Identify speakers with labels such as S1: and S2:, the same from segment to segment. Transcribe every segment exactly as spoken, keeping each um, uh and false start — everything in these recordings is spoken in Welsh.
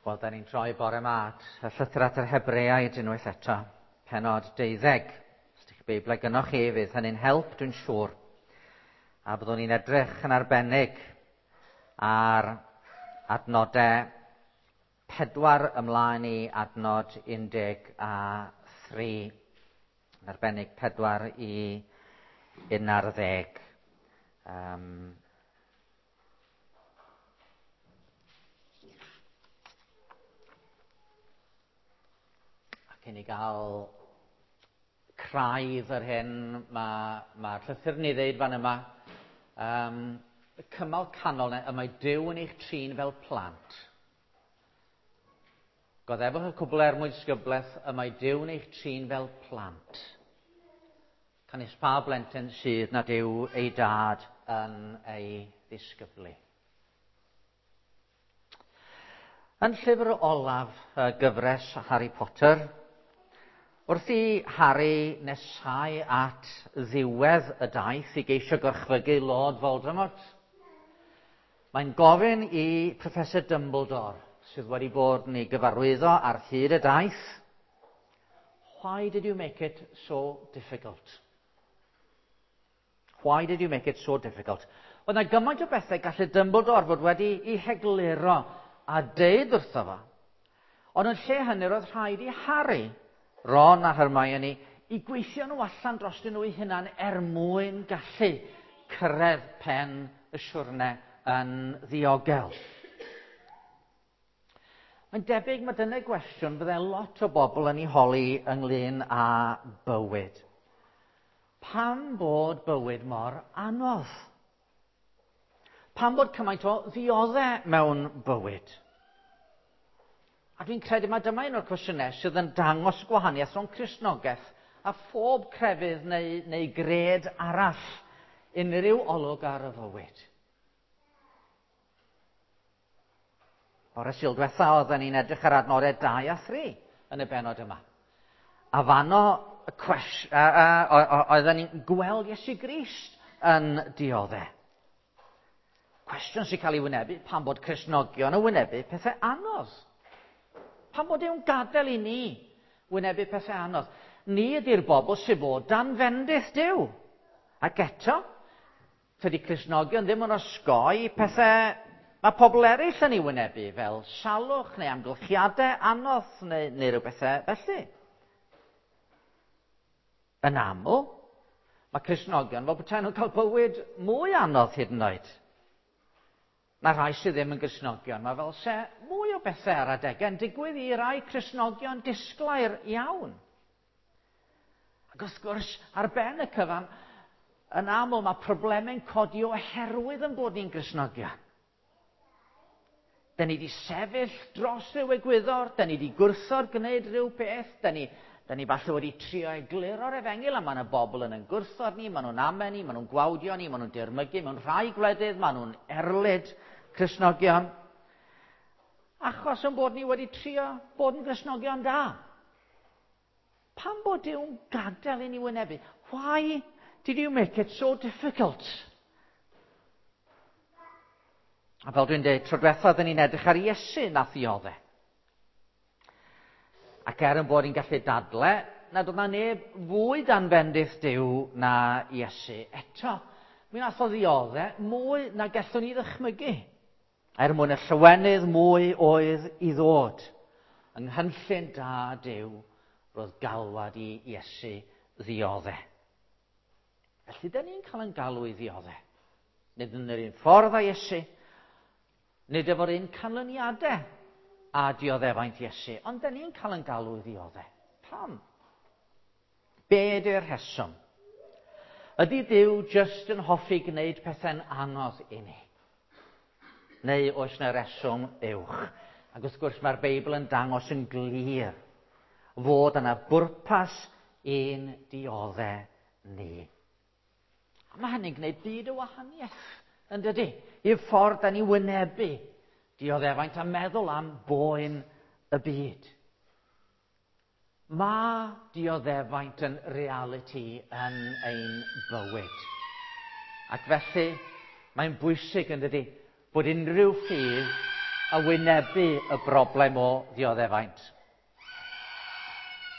S1: Wel, da ni'n troi bore 'ma at y llythyr at yr Hebreaid unwaith eto, pennod deuddeg. Os ydych Beiblau gynnoch chi, fydd hynny'n help, dwi'n siŵr. A byddwn ni'n edrych yn arbennig ar adnodau pedwar ymlaen i adnod un deg a thri. Yn arbennig pedwar i un ar ddeg. Um, Cyn i gael craidd yr hyn mae'r ma llythyr ni ddeud fan yma, um, y cymal canol y mae Duw yn eich trin fel plant. Goddefwch y cwbl er mwyn disgyblaeth, y mae Duw yn eich trin fel plant. Canys pa blentyn sydd nad yw ei dad yn ei ddisgyblu. Yn llyfr olaf y gyfres Harry Potter, wrth i Harry nesau at ddiwedd y daith i geisio gorchfygu Lord Voldemort, mae'n gofyn i Professor Dumbledore, sydd wedi bod yn ei gyfarwyddo ar hyd y daith, "Why did you make it so difficult? Why did you make it so difficult?" Oedd yna gymaint o bethau gallu Dumbledore fod wedi ei hegluro a deud wrtho fo. Ond yn lle hynny roedd rhaid i Harry, Ron a Hermione, i gweithio nhw allan drostyn nhw eu hunan er mwyn gallu cyrraedd pen y siwrne yn ddiogel. Mae'n debyg mae dyna gwestiwn fydde lot o bobl yn ei holi ynglyn â bywyd. Pam bod bywyd mor anodd? Pam bod cymaint o ddioddau mewn bywyd? A dwi'n credu mai dyma un o'r cwestiynau sydd yn dangos gwahaniaeth rhwng Cristnogaeth a phob crefydd neu, neu gred arall, unrhyw olwg ar y fywyd. Bore Sul diwetha oedden ni'n edrych ar adnodau dau a thri yn y bennod yma. A fanno y cwes, a, a, a, oedden ni'n gweld Iesu Grist yn dioddef. Cwestiwn sy'n cael ei wynebu pan bod Cristnogion yn wynebu pethau anodd. Pan bod Duw'n gadael i ni wynebu pethau anodd. Ni ydy'r bobl sydd fod dan fendith Duw. Ac eto, tydi Cristnogion ddim yn osgoi pethau mae pobl eraill yn ei wynebu, fel salwch neu amgylchiadau anodd neu, neu rhyw bethau felly. Yn aml, mae Cristnogion fel petai nhw'n cael bywyd mwy anodd hyd yn oed. Mae rhai sydd ddim yn Gristnogion, mae fel se mwy o bethau ar adegau yn digwydd i rai Cristnogion disglair iawn. Ac wrth gwrs, ar ben y cyfan, yn aml mae problemau'n codi oherwydd yn bod ni'n Gristnogion. Da ni wedi sefyll dros ryw egwyddor, da ni wedi gwrthod gwneud rhyw beth, da ni, da ni falle wedi trio egluro'r efengyl, a mae yna bobl yn yn gwrthod ni, maen nhw'n amen ni, maen nhw'n gwawdio ni, maen nhw'n dirmygu, mewn rhai gwledydd, maen nhw'n erlid Cristnogion, achos yn bod ni wedi trio bod yn Gristnogion da. Pam bod Duw'n gadael i ni wynebu? Why did you make it so difficult? A fel dwi'n dweud, tro diwetha oedden ni'n edrych ar Iesu nath ddioddef. Ac er yn bod ni'n gallu dadle, nad oedd na neb fwy dan fendith Duw na Iesu. Eto, mi nath o ddioddef mwy na gallwn ni ddychmygu. Er mwyn y llawenydd mwy oedd i ddod. Yng nghynllun da Duw, roedd galwad i Iesu ddioddef. Felly, da ni'n cael yn galw i ddioddef. Nid yn yr un ffordd â Iesu, nid efo'r un canlyniadau a dioddefaint Iesu, ond da ni'n cael yn galw i ddioddef. Pam? Be ydy'r rheswm? Ydy Duw jyst yn hoffi gwneud pethau'n anodd i ni? Neu oes yna reswm uwch? Ac wrth gwrs mae'r Beibl yn dangos yn glir fod yna bwrpas i'n dioddef ni. A mae hynny'n gwneud byd o wahaniaeth, yn dydy? I'r ffordd da ni wynebu dioddefaint a meddwl am boen y byd. Mae dioddefaint yn realiti yn ein bywyd. Ac felly, mae'n bwysig, yn dydy, bod unrhyw ffydd a wynebu y broblem o ddioddefaint.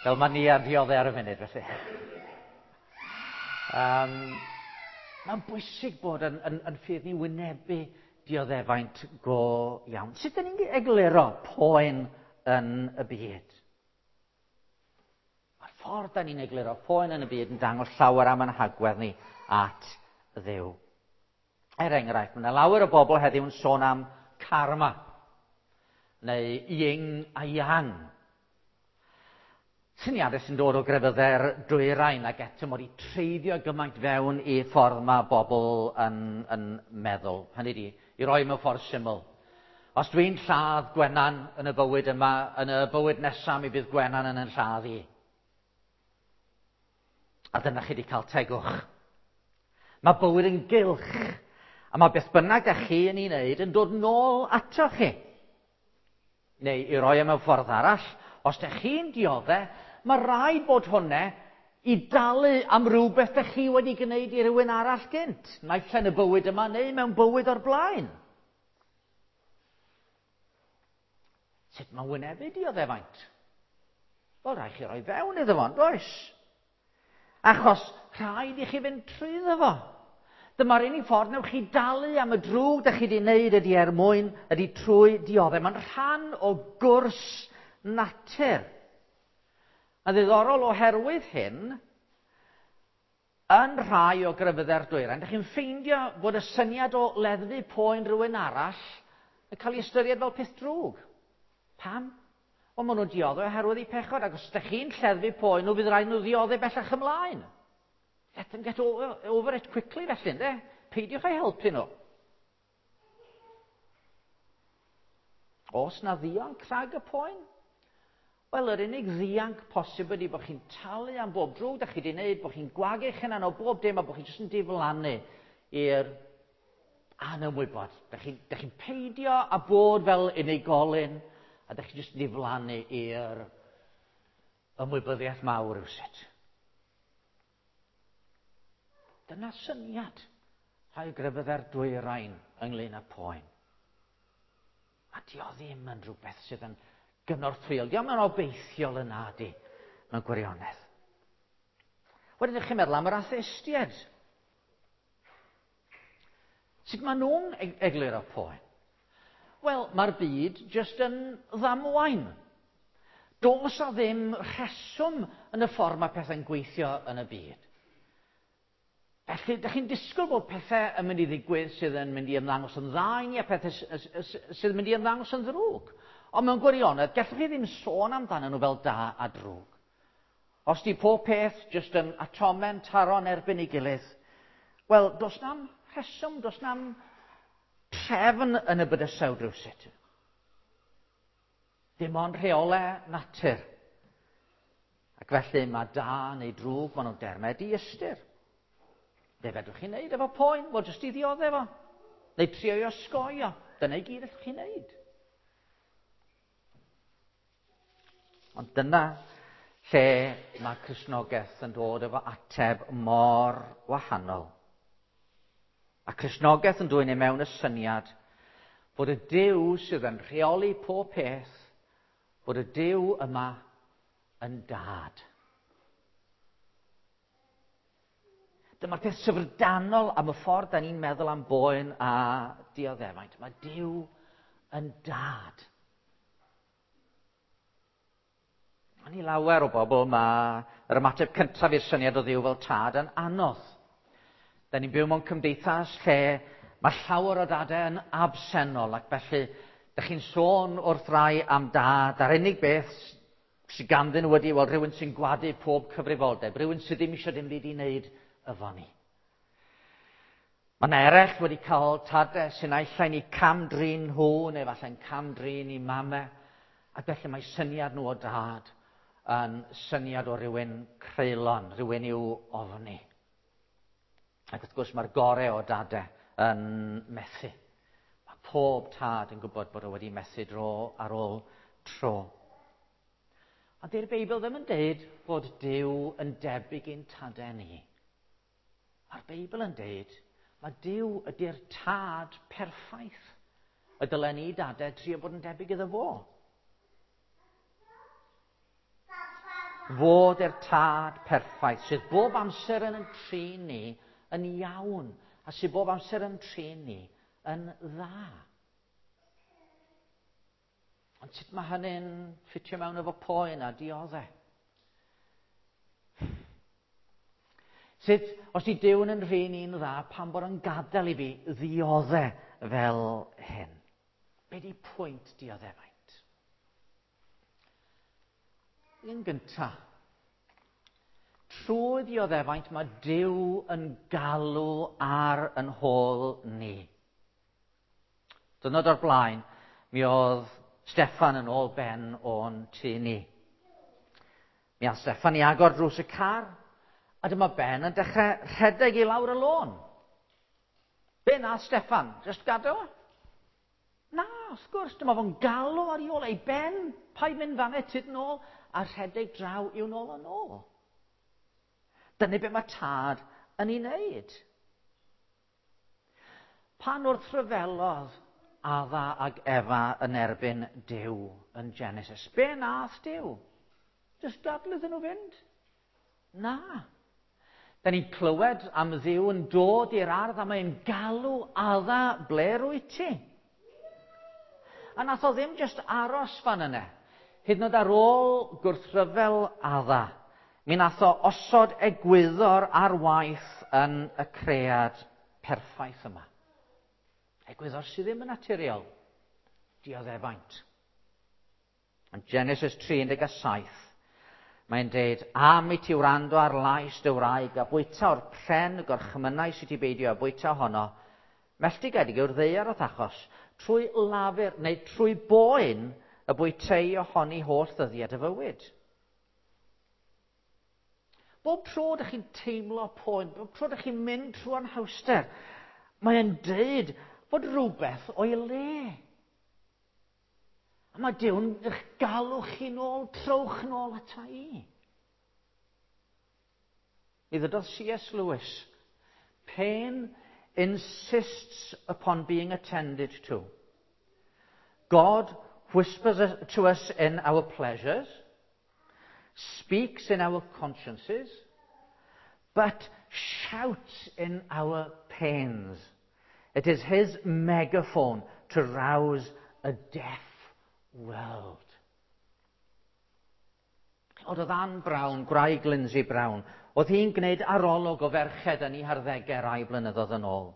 S1: Fel mae ni ar dioddef ar y funud, felly. Um, mae'n bwysig bod yn, yn, yn ffydd ni wynebu dioddefaint go iawn. Sut ydyn ni'n egluro poen yn y byd? Mae'r ffordd da ni'n egluro poen yn y byd yn dangos llawer am ein hagwedd ni at Dduw. Er enghraifft, mae yna lawer o bobl heddiw yn sôn am karma, neu yin a yang. Syniadau sy'n dod o grefyddau'r dwyrain ac eto mod i treiddio gymaint fewn i ffordd mae bobl yn, yn meddwl. Hynny di, i roi mewn ffordd syml. Os dwi'n lladd Gwenan yn y bywyd yma, yn y bywyd nesaf mi bydd Gwenan yn yn lladd i. A dyna chi wedi cael tegwch. Mae bywyd yn gylch. A mae beth bynnag da chi yn ei wneud yn dod nôl ato chi. Neu i roi e mewn ffordd arall, os da chi'n dioddef, mae rhaid bod hwnna i dalu am rhywbeth da chi wedi gwneud i rywun arall gynt. Naill yn y bywyd yma neu mewn bywyd o'r blaen. Sut mae wynebu dioddefaint? Wel, rhaid chi roi fewn iddo fo, does? Achos rhaid i chi fynd trwyddo fo. Dyma'r unig ffordd newch chi dalu am y drwg da chi wedi wneud ydy er mwyn, ydy trwy dioddef. Mae'n rhan o gwrs natur. A ddiddorol oherwydd hyn, yn rhai o grefyddau'r dwyrain, dych chi'n ffeindio bod y syniad o leddfu poen rhywun arall yn cael ei ystyried fel peth drwg. Pam? Wel, maen nhw'n dioddef oherwydd eu pechod, ac os ydych chi'n lleddfu poen nhw, fydd rhaid nhw ddioddef bellach ymlaen. Let them get over, over it quickly, felly, ynde? Peidiwch â'i helpu nhw. Os na ddianc rhag y poen? Wel, yr unig ddianc posib ydy bod chi'n talu am bob drwg da chi wedi wneud, bod chi'n gwagu eich hunan o bob dim a bod chi'n jyst yn diflannu i'r anymwybod. Da chi'n chi peidio a bod fel unigolyn, a da chi'n jyst yn diflannu i'r ymwybyddiaeth mawr rywsut. Dyna syniad rhai grefyddau'r dwyrain ynglyn â poen. A dio ddim yn rhywbeth sydd yn gynorthwyol. Dio'm yn obeithiol yna di, mewn gwirionedd. Wedyn ydych chi'n meddwl am yr atheistiaid. Sut maen nhw'n egluro poen? Wel, mae'r byd jyst yn ddamwain. Does a ddim rheswm yn y ffordd mae pethau'n gweithio yn y byd. Felly, ydych chi'n disgwyl bod pethau yn mynd i ddigwydd sydd yn mynd i ymddangos yn dda i ni a pethau sydd yn mynd i ymddangos yn ddrwg. Ond mewn gwirionedd, gallwch chi ddim sôn amdanyn nhw fel da a drwg. Os di pob peth jyst yn atome'n taro'n erbyn ei gilydd, wel, does na'm rheswm, does na'm trefn yn y bydysawd rywsut. Dim ond rheolau natur. Ac felly mae da neu drwg, maen nhw'n dermau diystyr. Be fedrwch chi wneud efo poen? Wel, jyst i ddioddef fo. Neu trio i osgoi o. Dyna i gyd allwch chi wneud. Ond dyna lle mae Cristnogaeth yn dod efo ateb mor wahanol. A Cristnogaeth yn dwyn i mewn y syniad bod y Duw sydd yn rheoli pob peth, bod y Duw yma yn dad. Dyma'r peth syfrdanol am y ffordd da ni'n meddwl am boen a dioddefaint. Mae Duw yn dad. Ond i lawer o bobl mae yr ymateb cyntaf i'r syniad o Dduw fel tad yn anodd. Da ni'n byw mewn cymdeithas lle mae llawer o dadau yn absennol, ac felly da chi'n sôn wrth rai am dad, a'r unig beth sydd ganddyn nhw ydy, wel, rhywun sy'n gwadu pob cyfrifoldeb, rhywun sydd ddim eisiau dim byd i wneud efo ni. Mae yna eraill wedi cael tadau sy'n naill ai'n eu cam-drin nhw, neu falle'n cam-drin eu mamau, ac felly mae syniad nhw o dad yn syniad o rywun creulon, rhywun i'w ofni. Ac wrth gwrs mae'r gorau o dadau yn methu. Mae pob tad yn gwybod bod o wedi methu dro ar ôl tro. Ond dy'r Beibl ddim yn deud bod Duw yn debyg i'n tadau ni. Mae'r Beibl yn deud mae Duw ydy'r tad perffaith. y dylen ni dadau trio bod yn debyg iddo fo. Fod e'r tad perffaith sydd bob amser yn trin ni yn iawn a sydd bob amser yn trin ni yn dda. Ond sut mae hynny'n ffitio mewn efo poen a dioddef? Sut, os di Duw yn rhin i'n dda, pam bod yn gadael i fi ddioddef fel hyn? Be di pwynt dioddefaint? Yn gyntaf, trwy ddioddefaint mae Duw yn galw ar yn hôl ni. Dwrnod o'r blaen, mi oedd Steffan yn ôl Ben o'n tŷ ni. Mi aeth Steffan i agor drws y car, a dyma Ben yn dechrau rhedeg i lawr y lôn. Be na Steffan? Just gadael o? Na, wrth gwrs, dyma fo'n galw ar ei ôl, ei Ben, paid mynd fan'na, tyd nôl, a rhedeg draw i'w nôl yn ôl. Dyna be mae tad yn ei wneud. Pan wrthryfelodd Adda ag Efa yn erbyn Duw yn Genesis, be nath Duw? Just gadael iddyn nhw fynd? Na. Da ni'n clywed am Dduw yn dod i'r ardd a mae'n galw Adda, ble rwyt ti? A nath o ddim just aros fan yna. Hyd yn oed ar ôl gwrthryfel Adda, mi nath o osod egwyddor ar waith yn y cread perffaith yma. Egwyddor sydd ddim yn naturiol, dioddefaint. Yn Genesis tri un deg saith, mae'n deud, am i ti wrando ar lais dy wraig a bwyta o'r pren y gorchmynnau sydd ti beidio a bwyta honno, melltigedig yw'r ddaear o'th achos, trwy lafur neu trwy boen y bwytei ohoni holl ddyddiad y fywyd. Bob tro ydych chi'n teimlo poen, bob tro ydych chi'n mynd trwy anhawster, mae'n deud fod rhywbeth o'i le. A mae Duw'n eich galw chi nôl, trowch nôl ata i. Mi ddydodd C S Lewis, pain insists upon being attended to. God whispers to us in our pleasures, speaks in our consciences, but shouts in our pains. It is his megaphone to rouse a deaf world. Oedd oedd Anne Brown, gwraig Lindsay Brown, oedd hi'n gwneud arolwg o ferched yn ei harddegau rai blynyddoedd yn ôl.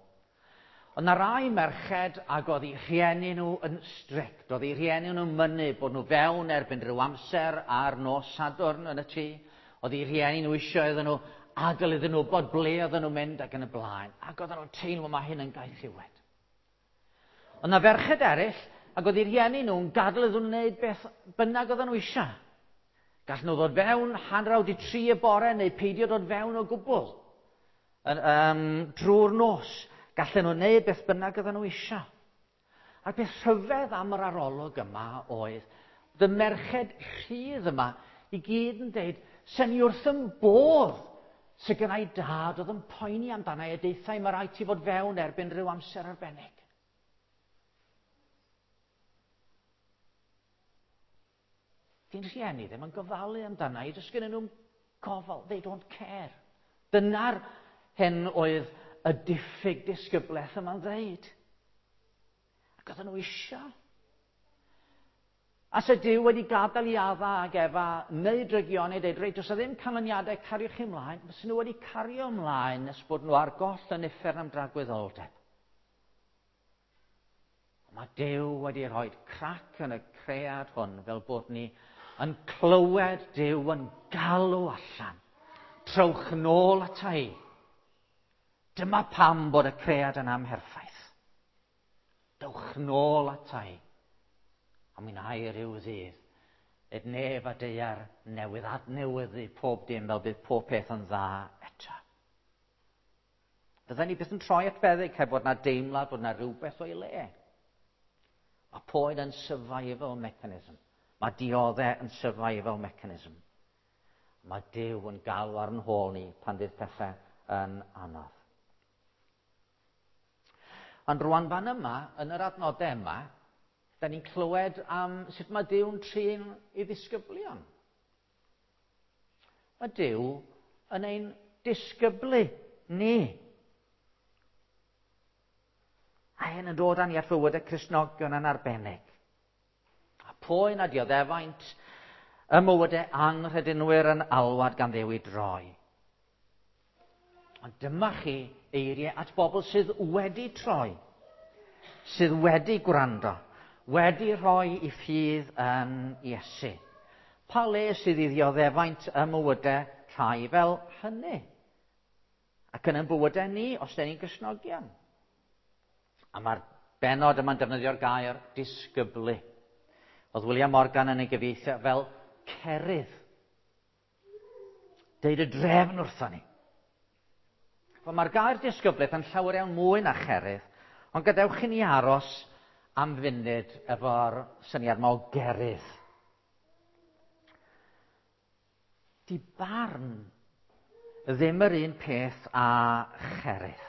S1: Oedd na rai merched ac oedd eu rhieni nhw yn strict, oedd eu rhieni nhw'n mynnu bod nhw fewn erbyn rhyw amser ar nos Sadwrn yn y tŷ, oedd eu rhieni nhw eisiau iddyn nhw adael iddyn nhw bod ble oedden nhw'n mynd ac yn y blaen, ac oedden nhw'n teimlo mae hyn yn gaethiwed. Oedd na ferched eraill ac oedd eu rhieni nhw'n gadael iddyn nhw wneud beth bynnag oedden nhw eisiau. Gall nhw ddod fewn hanner awr wedi tri y bore neu peidio dod fewn o gwbl yn, um, drwy'r nos. Gallen nhw wneud beth bynnag oedden nhw eisiau. A'r peth rhyfedd am yr arolwg yma oedd y merched rhydd yma i gyd yn deud, sen i wrth yn bodd sy gynna i dad oedd yn poeni amdana i a deutha i mae rhaid ti fod fewn erbyn rhyw amser arbennig. Di'n rhieni ddim yn gofalu amdana i, does gennyn nhw'n gofal, they don't care. Dyna'r hyn oedd y diffyg disgyblaeth yma'n ddeud. Ac oedden nhw eisiau. A se Duw wedi gadael i Adda ag Efa neu drygioni, deud, reit, does ddim canlyniadau, cariwch chi ymlaen. Fysen nhw wedi cario ymlaen nes bod nhw ar goll yn uffern am dragwyddoldeb. Mae Duw wedi rhoi crac yn y cread hwn fel bod ni yn clywed Duw yn galw allan. Trowch nôl ata i. Dyma pam bod y cread yn amherffaith. Dewch nôl ata i. A mi wna i ryw ddydd, ed nef a daear newydd adnewyddu pob dim fel bydd pob peth yn dda eto. Fydden ni byth yn troi at feddyg heb bod na deimlad bod na rhywbeth o'i le. Mae poen yn survival mechanism. Mae dioddef yn survival mechanism. Mae Duw yn galw ar yn hôl ni pan fydd pethau yn anodd. Ond rwan fan yma, yn yr adnodau yma, Da ni'n clywed am sut mae Duw'n trin ei ddisgyblion. Mae Duw yn ein disgyblu ni. A hyn yn dod â ni at fywydau Cristnogion yn arbennig. A poen a dioddefaint y mywydau anghredinwyr yn alwad gan Dduw i droi. Ond dyma chi eiriau at bobl sydd wedi troi, sydd wedi gwrando, wedi rhoi i ffydd yn Iesu. Pa le sydd i ddioddefaint y mywydau rhai fel hynny? Ac yn ein bywydau ni, os dan ni'n Gristnogion. A mae'r bennod yma'n defnyddio'r gair disgyblu. Oedd William Morgan yn ei gyfieithu fel cerydd. Deud y drefn wrthon ni. Wel, mae'r gair disgyblaeth yn llawer iawn mwy na cherydd, ond gadewch i ni aros am funud efo'r syniad yma o gerydd. Di barn ddim yr un peth â cherydd.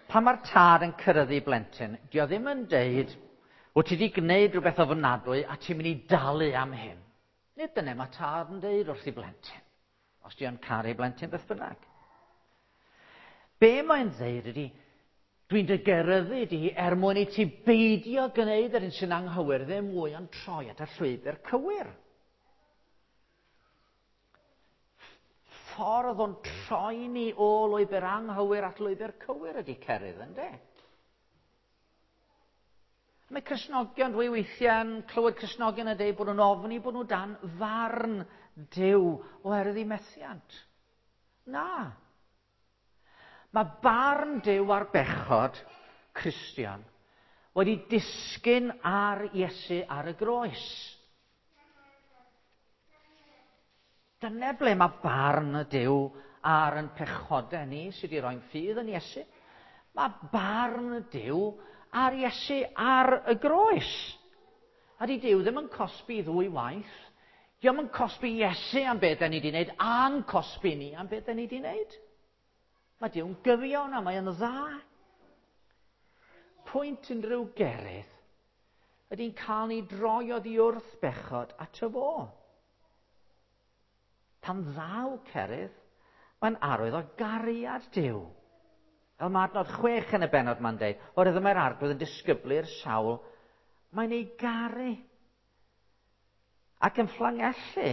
S1: Pan mae'r tad yn cyrraedd blentyn, di o ddim yn deud, wyt ti wedi gwneud rhywbeth ofnadwy a ti'n mynd i dalu am hyn. Nid dyna mae tad yn deud wrth i blentyn, os di o'n caru blentyn beth bynnag. Be mae'n ddeud ydy, dwi'n dy geryddu di er mwyn i ti beidio gwneud yr un sy'n anghywir ddim mwy ond troi at y llwybr cywir. Ffordd o'n troi ni o lwybr anghywir at lwybr cywir ydy cerydd, yndê? Mae Cristnogion, dwi weithiau'n clywed Cristnogion yn dweud bod nhw'n ofni bod nhw dan farn Duw oherwydd eu methiant. Na. Mae barn Duw ar bechod Cristion wedi disgyn ar Iesu ar y groes. Dyna ble mae barn y Duw ar yn pechodau ni sydd wedi rhoi'n ffydd yn Iesu. Mae barn y Duw ar Iesu ar y groes. A di Duw ddim yn cosbi ddwy waith. Dio'm yn cosbi Iesu am beth da ni wedi wneud, a'n cosbi ni am beth da ni wedi wneud. Mae Duw'n gyfiawn a mae yn dda. Pwynt unrhyw gerydd ydy'n cael ni droi oddi wrth bechod at y fo. Pan ddaw cerydd, mae'n arwydd o gariad Duw. Fel mae adnod chwech yn y bennod ma'n deud, oherwydd mae'r arglwydd yn disgyblu'r sawl, mae'n ei garu. Ac yn fflangellu,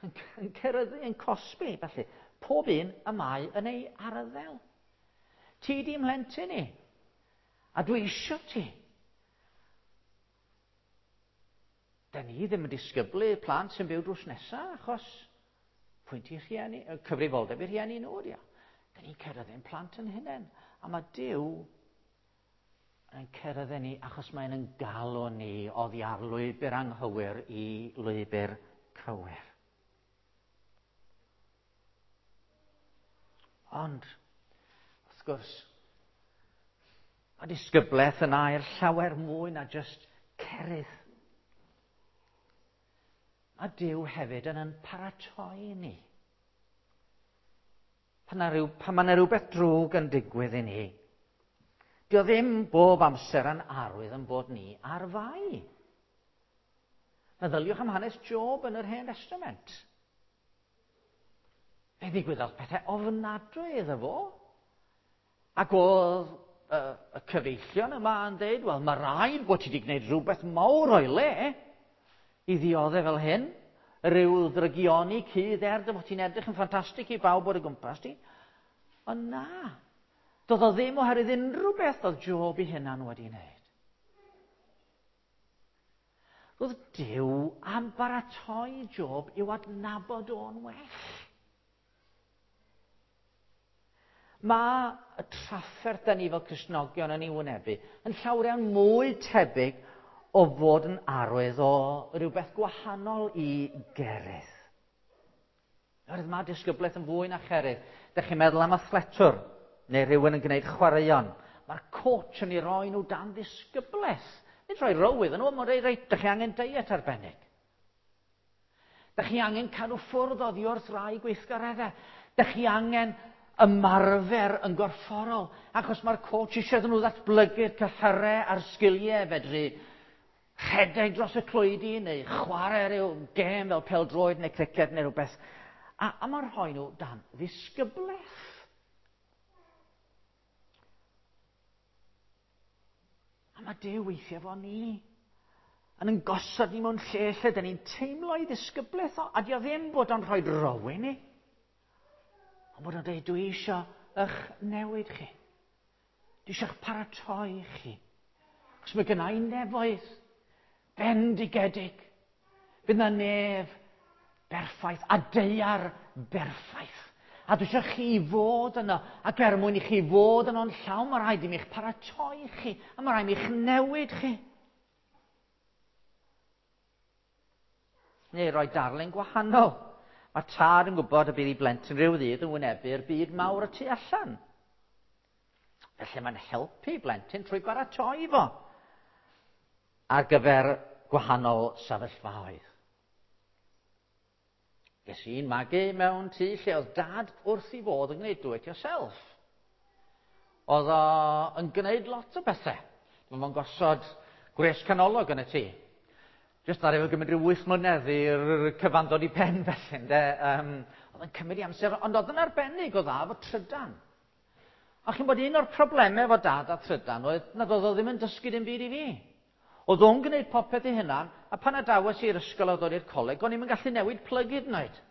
S1: yn ceryddu, yn cosbi, felly, pob un y mae yn ei arddel. Ti di mhlentyn i, a dwi isio ti. Da ni ddim yn disgyblu plant sy'n byw drws nesaf, achos pwynt i rhieni, cyfrifoldeb i rhieni nhw, ydi o. Da ni'n ceryddu'n plant yn hunain. A mae Duw yn ceryddu ni achos mae'n yn galw ni oddi ar lwybr anghywir i lwybr cywir. Ond, wrth gwrs, mae disgyblaeth yn air llawer mwy na just cerydd. Mae Duw hefyd yn yn paratoi ni. Pan, rhyw, pan mae yna rhywbeth drwg yn digwydd i ni, dio ddim bob amser yn arwydd yn bod ni ar fai. Meddyliwch am hanes Job yn yr Hen Testament. Fe ddigwyddodd pethau ofnadwy iddo fo. Ac oedd y, y cyfeillion yma yn dweud, wel, mae rhaid bod ti wedi gwneud rhywbeth mawr o'i le i ddioddef fel hyn. Rhyw ddrygioni cudd er dy fod ti'n edrych yn ffantastig i bawb o'r gwmpas ti. Ond na, doedd o ddim oherwydd unrhyw beth oedd Job ei hunan wedi wneud. Roedd Duw am baratoi Job i'w adnabod o'n well. Mae y trafferth da ni fel Cristnogion yn ei wynebu yn llawer iawn mwy tebyg o fod yn arwydd o rhywbeth gwahanol i gerydd. Oherwydd mae disgyblaeth yn fwy na cherydd. Dych chi'n meddwl am athletwr neu rhywun yn gwneud chwaraeon. Mae'r coach yn ei roi nhw dan ddisgyblaeth. Nid rhoi row iddyn nhw, mae'n rhoi, reit, dych chi angen diet arbennig. Dych chi angen cadw ffwrdd oddi wrth rai gweithgareddau. Dych chi angen ymarfer yn gorfforol, achos mae'r coach eisiau iddyn nhw ddatblygu'r cyhyrau a'r sgiliau fedru rhedeg dros y clwydi neu chwarae rhyw gêm fel pêl-droed neu criced neu rhywbeth. A, a mae'n rhoi nhw dan ddisgyblaeth. A mae Duw weithiau efo ni yn yn gosod ni mewn lle lle dyn ni'n teimlo ei ddisgyblaeth o, a di o ddim bod o'n rhoi row i ni. Ond bod o'n dweud, dwi eisiau eich newid chi. Dwi eisiau eich paratoi chi. Achos mae gynna i nefoedd bendigedig. Fydd na nef berffaith a daear berffaith. A dwi eisiau chi fod yno, ac er mwyn i chi fod yno'n llawn, mae rhaid i mi'ch paratoi chi, a mae rhaid i mi'ch newid chi. Neu roi darlun gwahanol. Mae tad yn gwybod y bydd ei blentyn rhyw ddydd yn wynebu'r byd mawr y tu allan. Felly mae'n helpu blentyn trwy baratoi fo ar gyfer gwahanol sefyllfaoedd. Ges i'n magu mewn tŷ lle oedd dad wrth ei fodd yn gwneud do it yourself. Oedd o yn gwneud lot o bethau. Mae fo'n gosod gwres canolog yn y tŷ. Jyst ar efo gymryd rhyw wyth mlynedd i'r cyfan dod i pen felly, ynde. Um, oedd yn cymryd i amser, ond oedd yn arbennig o dda efo trydan. A chi'n bod un o'r problemau efo dad a trydan oedd nad oedd o ddim yn dysgu dim byd i fi. Oedd o'n gwneud popeth ei hunan, a pan adawes i'r ysgol a ddod i'r coleg, o'n i'm yn gallu newid plyg hyd yn oed.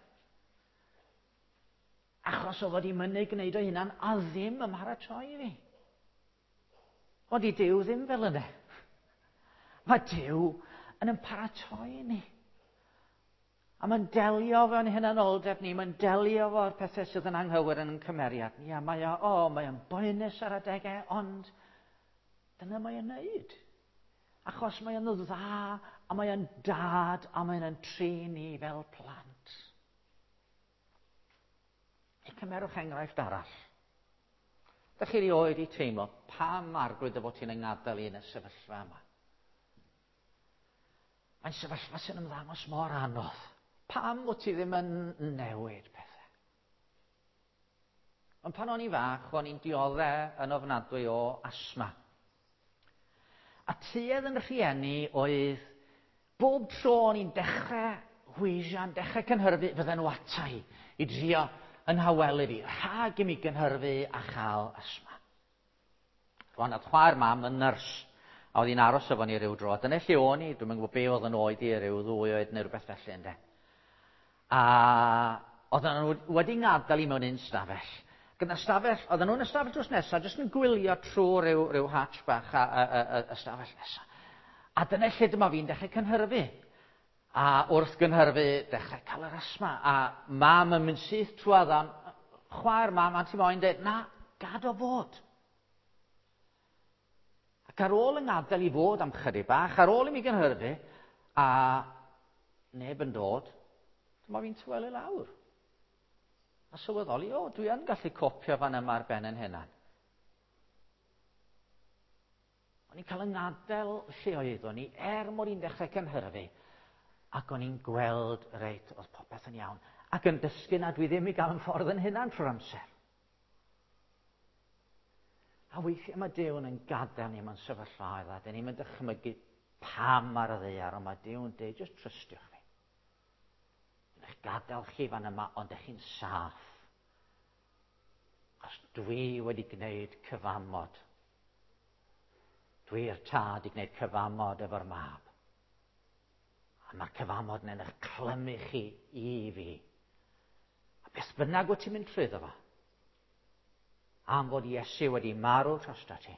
S1: Achos oedd o wedi mynnu gwneud o'i hunan a ddim ym mharatoi i fi. Ond i Duw ddim fel yna. Mae Duw yn yn paratoi ni. A mae'n delio efo'n hunanoldeb ni, mae'n delio efo'r pethau sydd yn anghywir yn ein cymeriad ni. A mae o, o, mae o'n boenus ar adegau, ond dyna mae o'n neud. Achos mae o'n dda, a mae o'n dad, a mae o'n trin ni fel plant. Neu cymerwch enghraifft arall. Dych chi erioed i teimlo pam Arglwydd dy fod ti'n yng ngadael i yn y sefyllfa yma? Mae'n sefyllfa sy'n ymddangos mor anodd. Pam wyt ti ddim yn newid pethau? Ond pan o'n i fach, o'n i'n dioddef yn ofnadwy o asthma. A tuedd yn rhieni oedd bob tro o'n i'n dechrau hwysian, dechrau cynhyrfu, fydden nhw ata i, i drio yn hawelu fi, rhag i mi gynhyrfu a chael asthma. Rwan, oedd chwaer mam yn nyrs, a oedd hi'n aros efo ni ryw dro. Dyna lle o'n i, dwi'm yn gwybod be oedd yn oed i, ryw ddwy oed neu rhywbeth felly, ynde. A oedden nhw wedi ngadael i mewn un stafell. Gyda stafell, oedden nhw'n y stafell drws nesaf, jyst yn gwylio trwy ryw, ryw hatch bach a, a, a, a, y stafell nesaf. A dyna lle dyma fi'n dechrau cynhyrfu. A wrth gynhyrfu, dechrau cael yr asthma. A mam yn mynd syth trwadd am, chwaer mam, a ti moyn dweud, na, gad o fod. Ac ar ôl yng ngadael i fod am chydig bach, ar ôl i mi gynhyrfu, a neb yn dod, dyma fi'n tawelu lawr. A sylweddoli, o, dwi yn gallu copio fan yma ar ben yn hunan. O'n i'n cael yng ngadael lle oeddwn i, er mod i'n dechrau cynhyrfu, ac o'n i'n gweld, reit, oedd popeth yn iawn, ac yn dysgu na dwi ddim i gael yn ffordd yn hunan trwy'r amser. A weithiau mae Duw yn gadael ni mewn sefyllfaoedd, a dyn ni'n dychmygu pam ar y ddaear, ond mae Duw yn dweud, jyst trystiwch fi. Dwi'n eich gadael chi fan yma, ond ydych chi'n saff. Achos dwi wedi gwneud cyfamod. Dwi'r tad i gwneud cyfamod efo'r mab. A mae'r cyfamod yn eich clymu chi i fi. A beth bynnag wyt ti'n mynd trwyddo fo, am fod Iesu wedi marw drosto ti,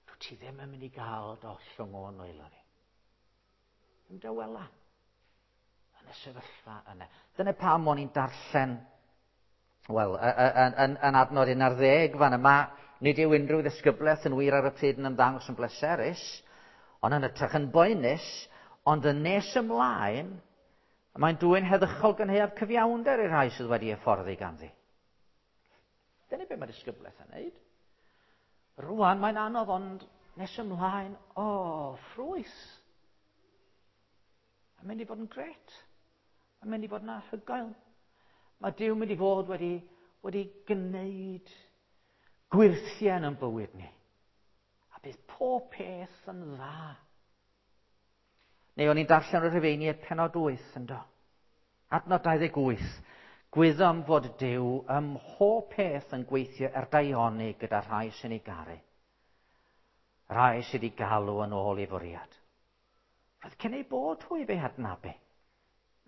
S1: dwi ti ddim yn mynd i gael dollwng o'n nwylo fi. Ymdawela yn y sefyllfa yna. Dyna pam o'n i'n darllen, wel, yn, yn, yn adnod un ar ddeg fan yma, nid yw unrhyw ddisgyblaeth yn wir ar y pryd yn ymddangos yn bleserus, ond yn ytrach yn boenus, ond yn nes ymlaen, mae'n dwyn heddychol gynhaeaf cyfiawnder i'r rhai sydd wedi hyfforddi ganddi. Dyna beth mae disgyblaeth yn neud. Rwan mae'n anodd, ond nes ymlaen, o, oh, ffrwyth. Mae'n mynd i fod yn gret. Mae'n mynd i fod yn anhygoel. Mae Duw mynd i fod wedi wedi gwneud gwyrthiau yn bywyd ni. A bydd pob peth yn dda. Neu o'n i'n darllen y Rhufeiniaid pennod wyth yndo. Adnod dau ddeg wyth. Gwyddom fod Duw ym mhob peth yn gweithio er daioni gyda rhai sy'n ei garu. Rhai sydd wedi galw yn ôl i fwriad. Roedd cyn ei bod hwy fe adnabu.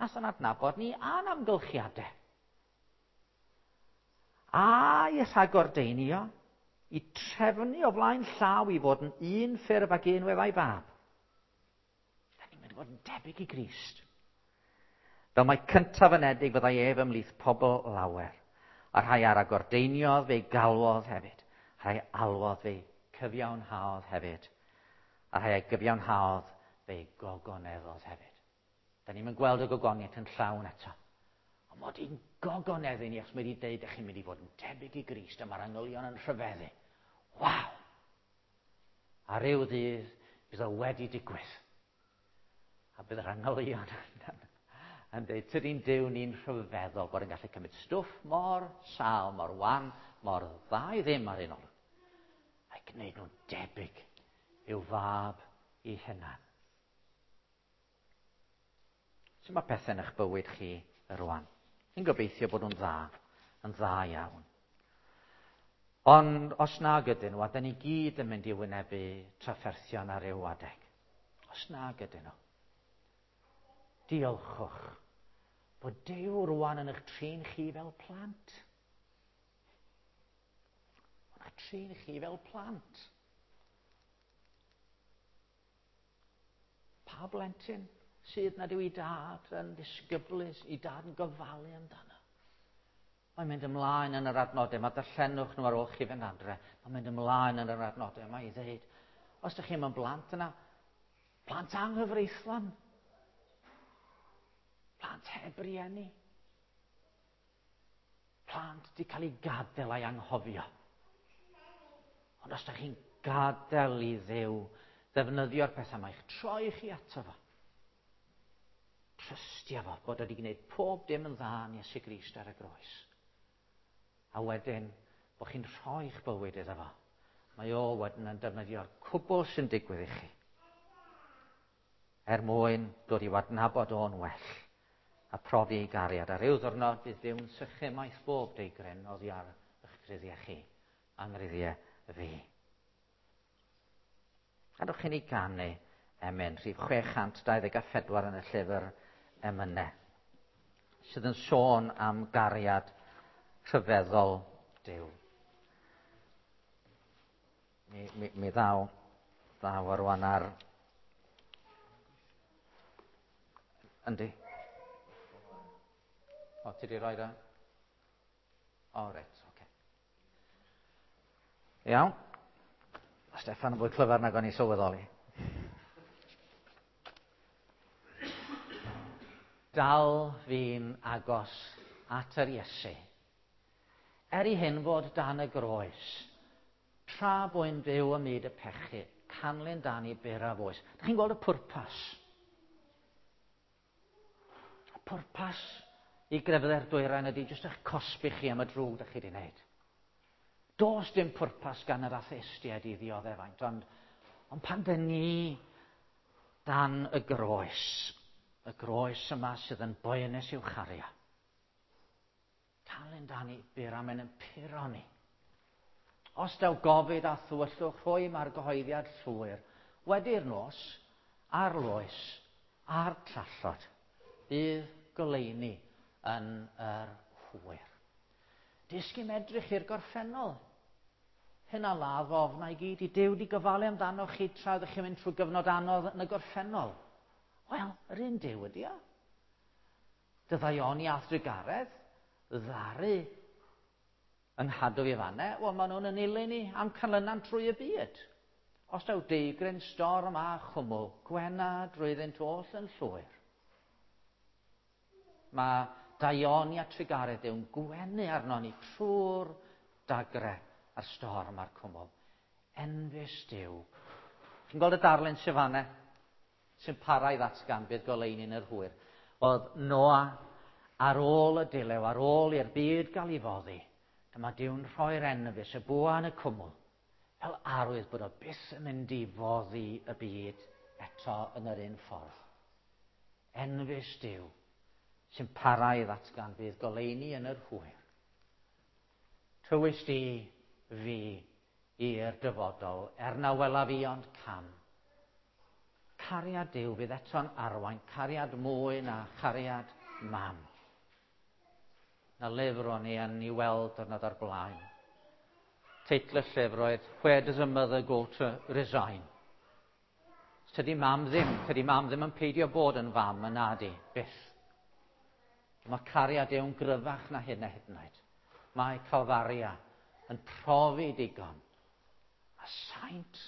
S1: Nath o'n adnabod ni a'n amgylchiadau. A i rhagordeinio, i trefnu o flaen llaw i fod yn un ffurf ac un weddau fab. Da ni'n mynd i fod yn debyg i Grist. Fel mae cyntaf anedig fyddai ef ymhlith pobl lawer. A rhai ar agordeiniodd fe'i galwodd hefyd. Rhai alwodd fe'i cyfiawnhaodd hefyd. A rhai a gyfiawnhaodd fe'i gogoneddodd hefyd. Da ni'n mynd gweld y gogoniaeth yn llawn eto. Ond mod i'n gogoneddu ni, achos mae wedi dweud ych chi'n mynd i fod yn debyg i Grist, a mae'r angylion yn rhyfeddu. Waw! A ryw ddydd bydd o wedi digwydd. A bydd yr angylion yn, yn dweud, tydi'n Duw ni'n rhyfeddol bod yn gallu cymryd stwff mor sâl, mor wan, mor dda i ddim ar un olwg. A'i gwneud nhw'n debyg i'w fab i hunan. Sut mae pethau yn eich bywyd chi rwan? Fi'n gobeithio bod nhw'n dda, yn dda iawn. Ond os nag ydyn nhw, a dyn ni gyd yn mynd i wynebu trafferthion ar ryw adeg. Os nag ydyn nhw, diolchwch bod Duw rwan yn eich trin chi fel plant. Yn eich trin chi fel plant. Pa blentyn sydd nad yw ei dad yn ddisgyblus, ei dad yn gofalu amdano? Mae'n mynd ymlaen yn yr adnodau, mae darllenwch nhw ar ôl chi fynd adre. Mae'n mynd ymlaen yn yr adnodau, mae i ddeud, os ydych chi'n blant yna, plant anghyfreithlon, plant heb rieni, plant wedi cael eu gadael a'i anghofio. Ond os ydych chi'n gadael i Dduw ddefnyddio'r pethau yma, i'ch troi chi ato fo, trystio fo bod wedi gwneud pob dim yn dda yn Iesu Grist ar y groes. A wedyn, bod chi'n rhoi'ch bywyd iddo fo. Mae o wedyn yn defnyddio'r cwbl sy'n digwydd i chi. Er mwyn dod i'w adnabod o'n well a profi ei gariad. A ryw ddwrnod bydd Duw'n sychu maith bob deigryn oddi ar eich gruddiau chi, anghruddiau fi. Gadewch i ni ganu emyn rhif chwe chant dau ddeg a phedwar yn y llyfr emynau, sydd yn sôn am gariad rhyfeddol Duw. Mi, mi, mi ddaw, ddaw ar rwan ar... Yndi? O, ti di roi da? O, reit, oce. Okay. Iawn. Steffan yn fwy clyfar nag o'n i sylweddoli. Dal fi'n agos at yr Iesu. Er i hyn fod dan y groes, tra bwy'n byw ym myd y pechu, canlyn dan i byraf oes. Dych chi'n gweld y pwrpas? Y pwrpas i grefyddau'r dwyrain ydy jyst eich cosbi chi am y drwg dych chi wedi wneud. Does dim pwrpas gan yr atheistiaid i ddioddeffaint, ond, ond pan dyn ni dan y groes, y groes yma sydd yn boenus i'w chario, canlyn dan i byr am yn puro ni. Os daw gofid a thywyllwch rhoi mae'r gyhoeddiad llwyr, wedi'r nos, a'r loes, a'r trallod, bydd goleuni yn yr hwyr. Disgyn edrych i'r gorffennol. Hyn a ladd ofna i gyd i Duw di gofalu amdano chi tra ydych chi'n mynd trwy gyfnod anodd yn y gorffennol. Wel, yr un Duw ydi o. Dyddaioni a thrugaredd, ddaru yng nghadw i fanne, wel, maen nhw'n yn ilyn ni am canlynan trwy y byd. Os daw deigryn, storm a chwmwl, gwena drwyddynt oll yn llwyr. Mae daioni a trugaredd Duw'n gwenu arno ni trwy'r dagre a'r storm a'r cwmwl. Enfys Duw. Chi'n gweld y darlun sy'n fanne? Sy'n para i ddatgan bydd goleuni yn yr hwyr. Oedd Noa ar ôl y dilew, ar ôl i'r byd gael ei foddi, Dyma Duw'n rhoi'r enfys, y bwa yn y cwmwl, fel arwydd bod o byth yn mynd i foddi y byd eto yn yr un ffordd. Enfys Duw sy'n para i ddatgan bydd goleuni yn yr hwyr. Tywys di fi i'r dyfodol, er na welaf i ond cam. Cariad Duw fydd eto'n arwain, cariad mwy na chariad mam. Na lyfr o'n i yn ei weld diwrnod o'r blaen. Teitl y llyfr oedd Where Does a Mother Go to Resign? Tydi mam ddim, tydi mam ddim yn peidio bod yn fam yn nadi, byth. Mae cariad Duw'n gryfach na hyn a hyd yn oed. Mae Calfaria yn profi digon. A saint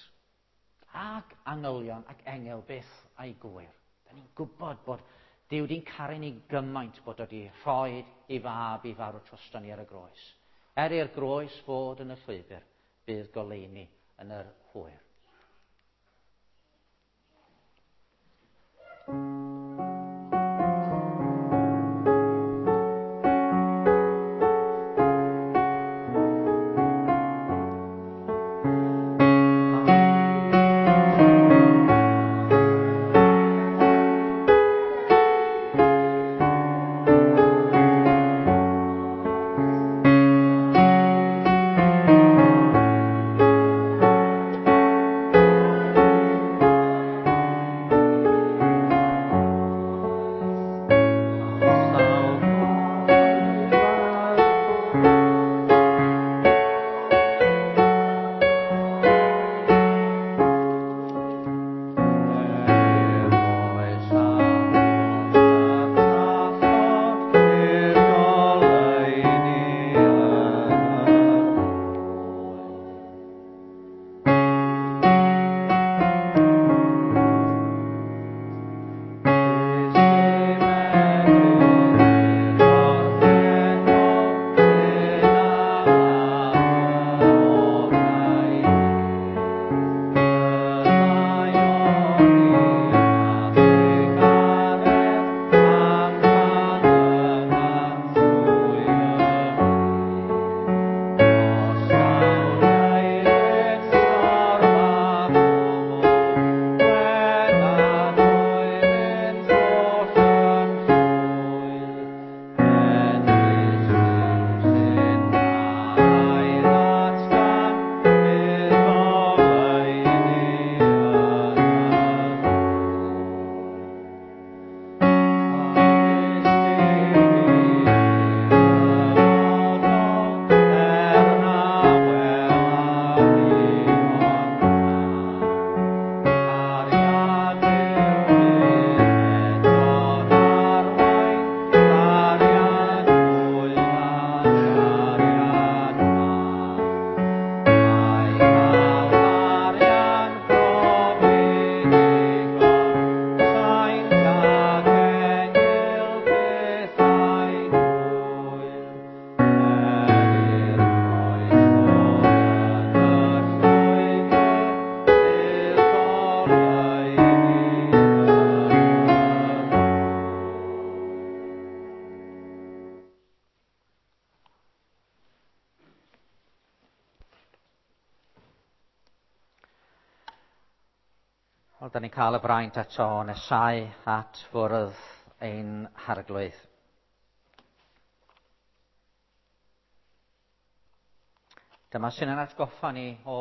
S1: ac angylion ac engel byth a'i gwyr. Da ni'n gwybod bod Duw di'n caru ni gymaint bod o di rhoi ei fab i farw drosto ni ar y groes. Er i'r groes fod yn y llwybr, bydd goleuni yn yr hwyr. Wel, da ni'n cael y braint eto o nesau at fwrdd ein harglwydd. Dyma sy'n yn atgoffa ni o